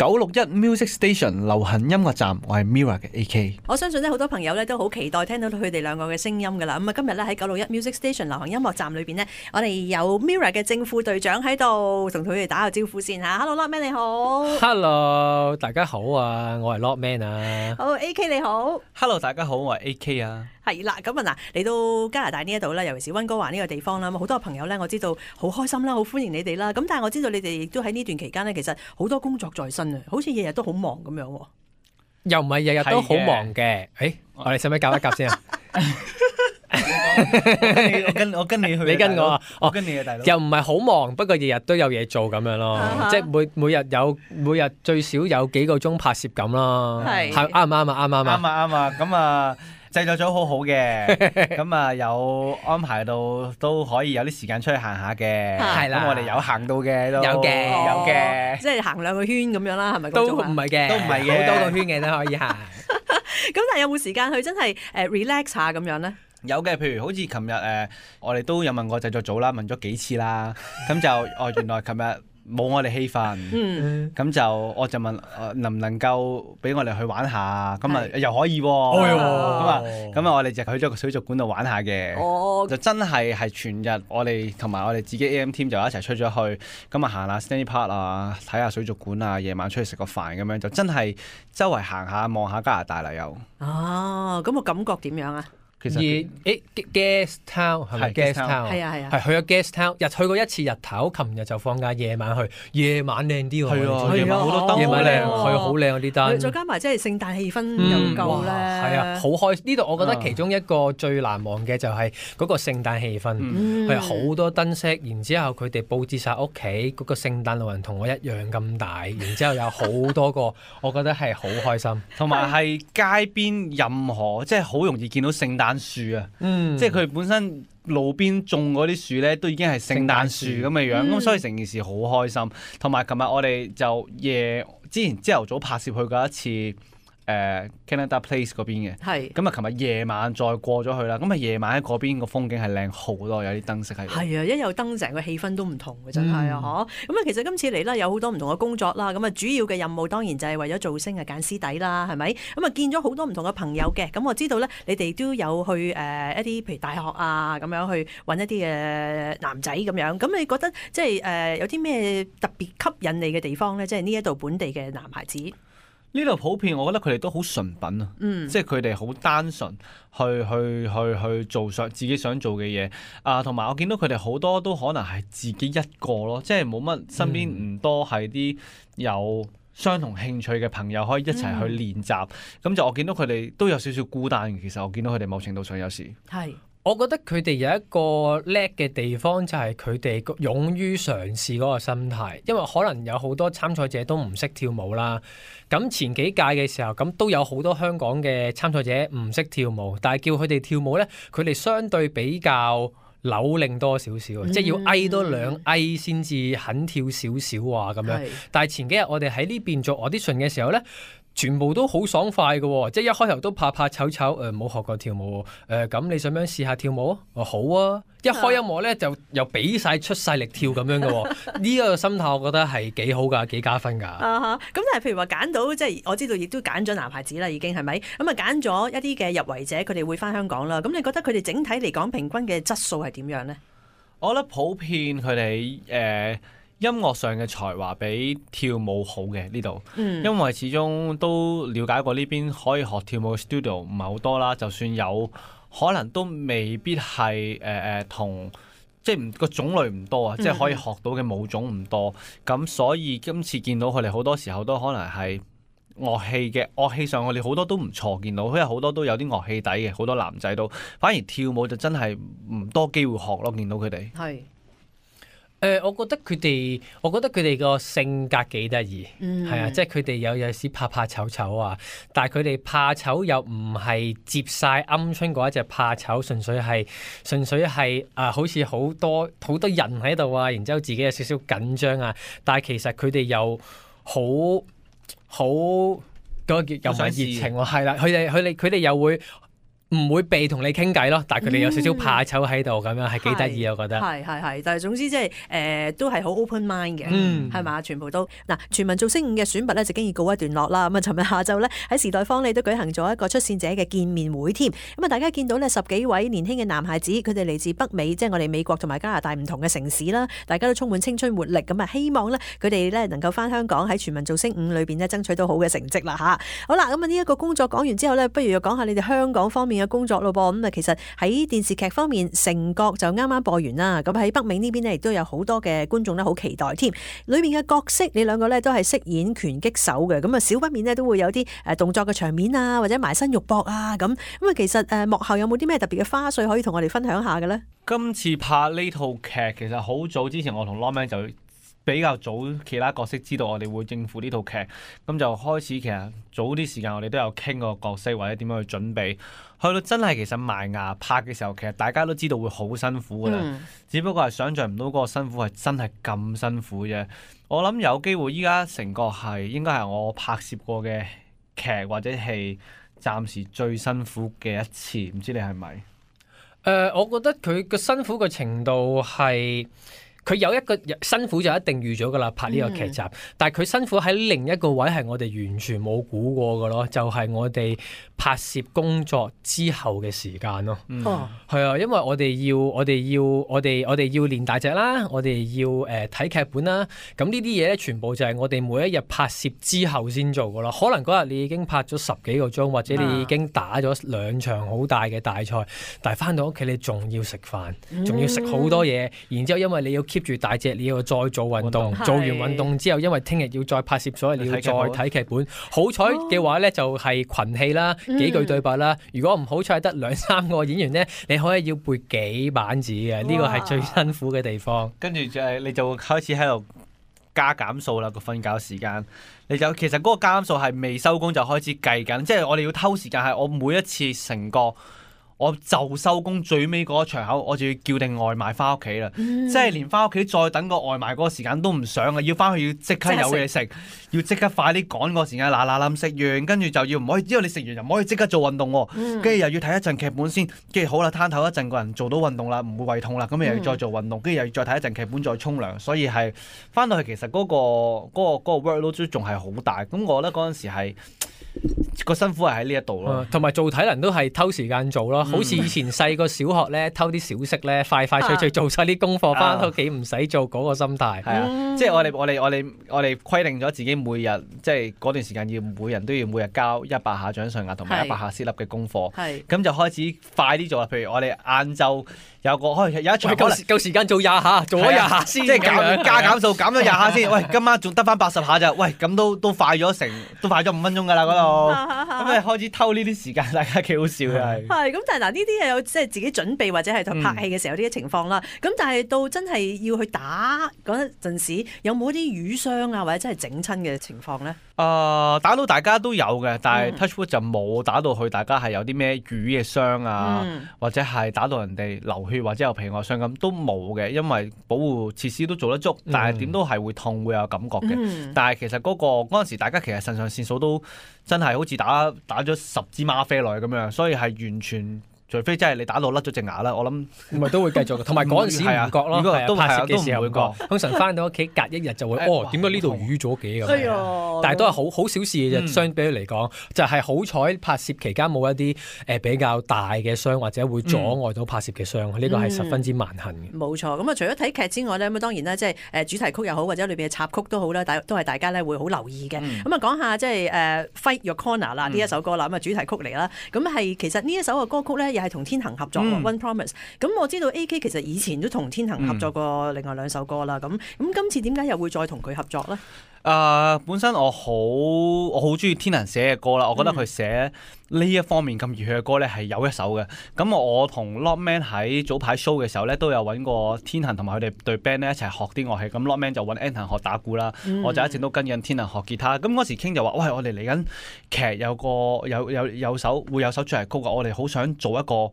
961 Music Station 流行音樂站，我係 Mirror 嘅 AK。我相信咧好多朋友咧都好期待聽到佢哋兩個嘅聲音噶啦。咁啊，今日咧喺961 Music Station 流行音樂站裏邊呢，我哋有 Mirror 嘅正副隊長喺度，同佢哋打個招呼先嚇。Hello，Lockman 你好。Hello， 大家好啊，我係 Lockman 啊。好 AK 你好。Hello， 大家好，我係 AK 啊。係啦，咁啊嗱，嚟到加拿大呢一度咧，尤其是溫哥華呢個地方啦，咁好多朋友咧，我知道好開心啦，好歡迎你哋啦。咁但係我知道你哋亦都喺呢段期間呢，其實好多工作在身啊，好似日日都好忙咁樣喎。又唔係日日都好忙嘅。誒，我哋使唔使夾一夾先啊？我跟你去，你跟我啊？我跟你嘅大佬。又唔係好忙，不過日日都有嘢做咁樣咯。即係每日最少有幾個鐘拍攝咁咯。係啱唔啱啊？啱啊！咁啊，製作組好好嘅，咁啊有安排到都可以有啲時間出去行下嘅。係啦，咁我哋有行到嘅都有嘅，即係行2個圈咁樣啦，係咪？都唔係嘅，好多個圈嘅都可以行。咁但係有冇時間去真係relax 下咁樣咧？有嘅，譬如好似琴日我哋都有問過製作組啦，問咗幾次啦，咁就原來琴日冇我哋氣氛，咁就我就問能唔能夠俾我哋去玩下，咁啊又可以喎，咁啊我哋就去咗個水族館度玩下嘅，就真係全日我哋同埋我哋自己 AM team 就一齊出咗去，咁啊行下 Stanley Park 啊，睇下水族館啊，夜晚出去食個飯咁樣，就真係周圍行下望下加拿大啦又。哦，咁個感覺點樣啊？其實Guest Town 係咪 Guest Town？係啊，係去咗 Guest Town，去過一次日頭，琴日就放假，夜晚去，夜晚靚啲喎。係啊，夜晚好多燈，夜晚靚，係好靚嗰啲燈。再加埋即係聖誕氣氛又夠咧。係啊，好開心。呢度我覺得其中一個最難忘嘅就係嗰個聖誕氣氛，係好多燈飾，然之後佢哋佈置晒屋企，嗰個聖誕老人同我一樣咁大，然之後有好多個，我覺得係好開心。同埋係街邊任何即係好容易見到聖誕樹啊，即係佢本身路邊種嗰啲樹咧，都已經係聖誕樹咁嘅樣，咁所以成件事好開心。同埋琴日我哋就之前朝頭早拍攝去過一次Canada Place 嗰邊嘅，咁啊琴日夜晚再過咗去啦，咁啊夜晚喺嗰邊個風景係靚好多，有啲燈飾喺度。係啊，一有燈成個氣氛都唔同嘅，真係啊，咁啊其實今次嚟啦有好多唔同嘅工作啦，咁啊主要嘅任務當然就係為咗造星啊揀師弟啦，係咪？咁啊見咗好多唔同嘅朋友嘅，咁我知道咧你哋都有去一啲譬如大學啊咁樣去揾一啲嘅男仔咁樣，咁你覺得即係有啲咩特別吸引你嘅地方咧？即係呢一度本地嘅男孩子。呢度普遍，我覺得佢哋都好純品啊，即係佢哋好單純去做自己想做嘅嘢啊，同埋我見到佢哋好多都可能係自己一個咯，即係冇乜身邊唔多係啲有相同興趣嘅朋友可以一齊去練習，咁就我見到佢哋都有少少孤單嘅。其實我見到佢哋某程度上有時係。我覺得佢哋有一個叻嘅地方就係佢哋勇於嘗試嗰個心態，因為可能有好多參賽者都唔識跳舞啦。咁前幾屆嘅時候，咁都有好多香港嘅參賽者唔識跳舞，但係叫佢哋跳舞呢，佢哋相對比較扭擰多少少，即係要挨多2挨先至肯跳少少啊咁樣。但係前幾日我哋喺呢邊做 audition 嘅時候呢，全部都好爽快嘅，即係一開頭都怕醜冇學過跳舞，咁你想唔想試下跳舞啊？好啊！一開音樂咧就又俾晒出晒力跳咁樣嘅，呢個心態我覺得係幾好噶，幾加分噶。咁但係譬如話揀到，即係我知道亦都揀咗男孩子啦，已經係咪？咁啊揀咗一啲嘅入圍者，佢哋會翻香港啦。咁你覺得佢哋整體嚟講平均嘅質素係點樣呢？我覺得普遍佢哋音樂上嘅才華比跳舞好嘅呢度，因為始終都了解過呢邊可以學跳舞嘅 studio 唔係好多啦，就算有可能都未必係同即係個種類唔多啊，即係可以學到嘅舞種唔多，咁所以今次見到佢哋好多時候都可能係樂器上我哋好多都唔錯，見到因為好多都有啲樂器底嘅，好多男仔都反而跳舞就真係唔多機會學咯，見到佢哋係。我覺得佢哋個性格幾得意，係啊，即係佢哋有時怕醜啊，但係佢哋怕醜又唔係接晒鵪鶉嗰一隻怕醜，純粹係好似好多人喺度啊，然之後自己有少少緊張啊，但係其實佢哋又好嗰個叫又唔係熱情喎，係啦，佢哋又會唔會避同你傾偈咯，但係佢哋有少少怕醜喺度咁樣，係幾得意我覺得。係，但係總之即係都係好 open mind 嘅，係嘛？全部都嗱，全民造星5嘅選拔咧就經已告一段落啦。咁啊，尋日下晝咧喺時代坊你都舉行咗一個出線者嘅見面會添。咁啊，大家見到呢10幾位年輕嘅男孩子，佢哋嚟自北美，即係我哋美國同埋加拿大唔同嘅城市啦，大家都充滿青春活力。咁啊，希望咧佢哋咧能夠翻香港喺全民造星5裏邊咧爭取到好嘅成績啦嚇。好啦，咁啊呢一個工作講完之後咧，不如又講下你哋香港方面嘅工作咯噃。咁啊，其實喺電視劇方面，成角就啱啱播完啦。咁喺北美呢邊呢，亦都有好多嘅觀眾咧，好期待添。裏面嘅角色，你兩個咧都係飾演拳擊手嘅。咁啊，少不免呢都會有啲動作嘅場面啊，或者埋身肉搏啊咁。咁啊，其實幕後有冇啲咩特別嘅花絮可以同我哋分享下嘅咧？今次拍呢套劇其實好早之前，我同 Lokman 就比較早其他角色知道我哋會應付呢套劇，咁就開始其實早啲時間我哋都有傾個角色或者點樣去準備，去到真係其實埋牙拍嘅時候，其實大家都知道會好辛苦㗎啦，只不過係想像唔到嗰個辛苦係真係咁辛苦啫。我諗有機會依家成個係應該係我拍攝過嘅劇或者係暫時最辛苦嘅一次，唔知你係咪？我覺得佢個辛苦嘅程度係。佢有一個辛苦就一定預咗噶啦，拍呢個劇集。但係佢辛苦喺另一個位係我哋完全冇估過嘅咯，就係我哋拍攝工作之後嘅時間咯。係啊，因為我哋要練大隻啦，我哋要睇劇本啦。咁呢啲嘢咧，全部就係我哋每一日拍攝之後先做噶啦。可能嗰日你已經拍咗10幾個鐘，或者你已經打咗2場好大嘅大賽，但係翻到屋企你仲要食飯，仲要食好多嘢，然之後因為你要keep住大隻，你要再做運動，做完運動之後，因為聽日要再拍攝，所以你要再睇劇本。好彩嘅話咧，就係群戲啦，幾句對白啦。如果唔好彩得2-3個演員咧，你可以要背幾版紙嘅，呢個係最辛苦嘅地方。跟住就係你就開始喺度加減數啦，個瞓覺時間。你就其實嗰個加減數係未收工就開始計緊，即係我哋要偷時間係我每一次成個。我就收工最尾嗰個場口，我就要叫定外賣翻屋企啦。即係連翻屋企再等個外賣嗰個時間都唔想啊！要翻去要即刻有嘢食，要即刻快啲趕個時間，嗱食完，跟住就要唔可以，因為你食完又唔可以即刻做運動喎。跟住又要睇一陣劇本先，跟住好啦，攤頭一陣，個人做到運動啦，唔會胃痛啦，咁又要再做運動，跟住又要再睇一陣劇本，再沖涼。所以係翻到去其實嗰個 workload 都仲係好大。咁我覺得嗰陣時係。個辛苦係喺呢一度咯，同埋做體能都係偷時間做咯，好似以前細個小學咧偷啲小息咧，快脆做晒啲功課，翻屋企唔使做嗰個心態。係啊，即係我哋規定咗自己每日即係嗰段時間要每人都要每日交100下掌上壓同埋100下 sit up 嘅功課，咁就開始快啲做啦。譬如我哋晏晝有一場夠時間做20下，做咗20下先，即係加減數減咗20下先。喂，今晚仲得翻80下咋？喂，咁都快咗5分鐘㗎啦嗰度。咁你開始偷呢啲時間，大家幾好笑嘅係。係咁，但係嗱呢啲有即係自己準備或者係拍戲嘅時候啲情況啦。咁但係到真係要去打嗰陣時，有冇啲瘀傷啊，或者真係整親嘅情況咧？打到大家都有嘅，但係 touch wood 就冇打到去大家係有啲咩瘀嘅傷啊，或者係打到人哋流血或者有皮外傷咁都冇嘅，因為保護設施都做得足，但係點都係會痛會有感覺嘅。但係其實嗰陣時大家其實腎上腺素都真係好似打咗10支嗎啡落去咁樣，所以係完全。除非真係你打到甩咗隻牙啦，我諗唔係都會繼續嘅。同埋嗰陣時唔覺咯，都拍攝嘅時候唔會覺。通常翻到屋企隔1日就會點解呢度瘀咗嘅咁樣？但係都係好小事嘅啫，相比嚟講，就係好彩拍攝期間冇一啲比較大嘅傷或者會阻礙到拍攝嘅傷，呢個係十分之萬幸嘅。冇錯，咁啊除咗睇劇之外咧，咁當然咧即係主題曲又好或者裏邊嘅插曲都好啦，都係大家咧會好留意嘅。咁啊講下即係Fight Your Corner 啦呢一首歌啦，咁啊主題曲嚟啦。咁係其實呢一首嘅歌曲咧係同天行合作 One Promise， 咁我知道 AK 其實以前都同天行合作過另外2首歌啦，咁今次點解又會再同佢合作咧？本身我好中意天行寫嘅歌啦，我覺得佢寫呢一方面咁熱血嘅歌咧係有一手嘅。咁我同 Lokman 喺早排 show 嘅時候咧都有揾過天行同埋佢哋對 band 咧一齊學啲樂器。咁 Lokman 就揾 Anton 學打鼓啦，我就一直都跟緊天行學吉他。咁嗰時傾就話，喂，我哋嚟緊劇有首主題曲啊，我哋好想做一個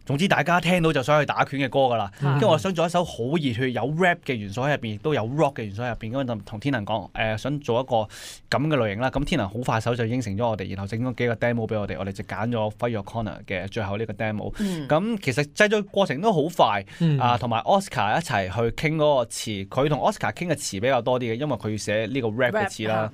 總之大家聽到就想去打拳嘅歌㗎啦。跟住我想做一首好熱血有 rap 嘅元素喺入邊，亦都有 rock 嘅元素喺入邊。咁就同天能講想做一個咁嘅類型啦。咁天能好快手就應承咗我哋，然後整咗幾個 demo 俾我哋，我哋就揀咗 Fight Your Corner 嘅最後呢個 demo。咁其實製作過程都好快同埋 Oscar 一齊去傾嗰個詞，佢同 Oscar 傾嘅詞比較多啲嘅，因為佢要寫呢個 rap 嘅詞啦。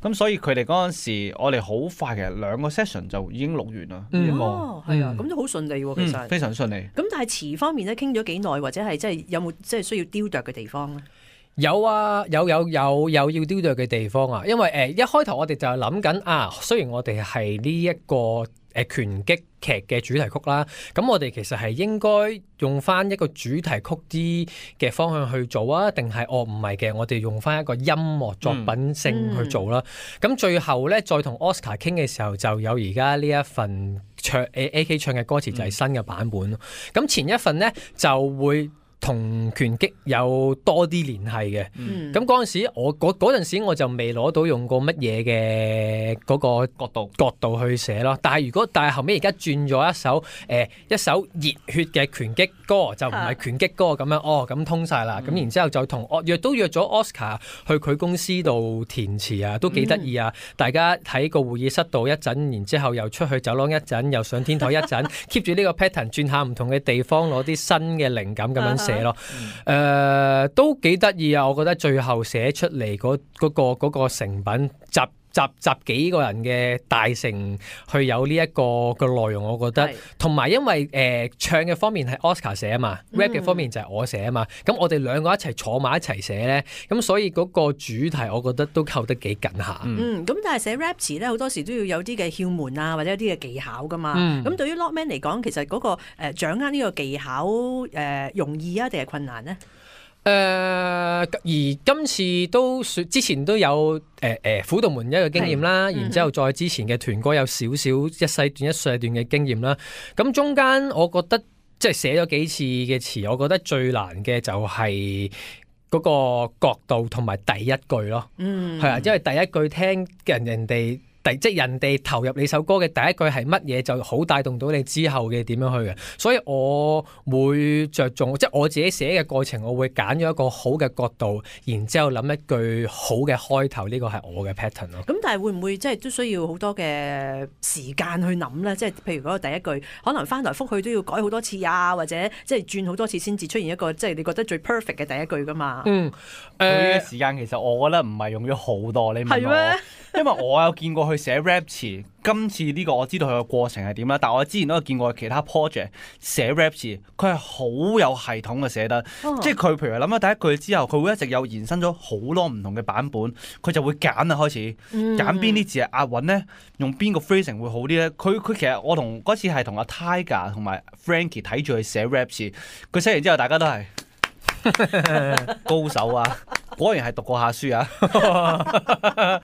咁所以佢哋嗰陣時，我哋好快，其實2個 session 就已經錄完啦。係啊，咁都好順利喎，其實。非常順利。咁但係詞方面咧，傾咗幾耐，或者係即係有冇即係需要雕琢嘅地方咧？有啊，有要雕琢嘅地方啊，因為一開頭我哋就係諗緊啊，雖然我哋係呢一個拳擊劇嘅主題曲啦，咁我哋其實係應該用翻一個主題曲啲嘅方向去做啊，定係唔係嘅，我哋用翻一個音樂作品性去做啦。咁最後咧，再同 Oscar 傾嘅時候，就有而家呢一份唱 AK 唱嘅歌詞就係新嘅版本咯。咁前一份咧就會同拳擊有多啲聯繫嘅，咁嗰陣時我嗰陣時我就未攞到用過乜嘢嘅嗰個角度去寫咯。但係後尾而家轉咗一首熱血嘅拳擊歌，就唔係拳擊歌咁樣咁通晒啦。咁然之後就約咗 Oscar 去佢公司度填詞啊，都幾得意啊！大家喺個會議室度一陣，然之後又出去走廊一陣，又上天台一陣，keep 住呢個 pattern 轉下唔同嘅地方，攞啲新嘅靈感咁樣寫咯。都幾得意啊！我覺得最後寫出嚟嗰個成品集幾個人嘅大成去有呢一個內容，我覺得同埋因為唱嘅方面係 Oscar 寫啊嘛，rap 嘅方面就係我寫啊嘛，咁我哋兩個一齊坐埋一齊寫咧，咁所以嗰個主題我覺得都扣得幾緊下。咁但係寫 rap 詞咧，好多時都要有啲嘅竅門啊，或者有啲嘅技巧噶嘛。咁對於 Lokman 嚟講，其實嗰個掌握呢個技巧容易啊，定係困難呢？而今次之前都有輔導門一個經驗啦，然之後再之前嘅團歌有少少一細段嘅經驗啦。咁中間我覺得即係寫咗幾次嘅詞，我覺得最難嘅就係嗰個角度同埋第一句咯。係啊，因為第一句聽人哋。即係人哋投入你首歌嘅第一句係乜嘢，就好帶動到你之後嘅點樣去嘅。所以我會着重，即係我自己寫嘅過程，我會揀咗一個好嘅角度，然之後諗一句好嘅開頭，呢個係我嘅 pattern 咯。咁但係會唔會即係都需要好多嘅時間去諗咧？即係譬如嗰個第一句，可能翻來覆去都要改好多次啊，或者即係轉好多次先至出現一個即係你覺得最 perfect 嘅第一句噶嘛？佢嘅時間其實我覺得唔係用咗好多，你問我，因為我有見過佢寫 rap 詞，今次呢個我知道佢個過程係點啦，但我之前都有見過其他 project 寫 rap 詞，佢係好有系統嘅寫得，即係佢譬如諗咗第一句之後，佢會一直有延伸咗好多唔同嘅版本，佢就會揀啊，開始揀邊啲字係押韻咧，用邊個 phrasing 會好啲咧？佢其實我同嗰次係同阿 Tiger 同埋 Frankie 睇住佢寫 rap 詞，佢寫完之後大家都係高手啊，果然係讀過下書啊！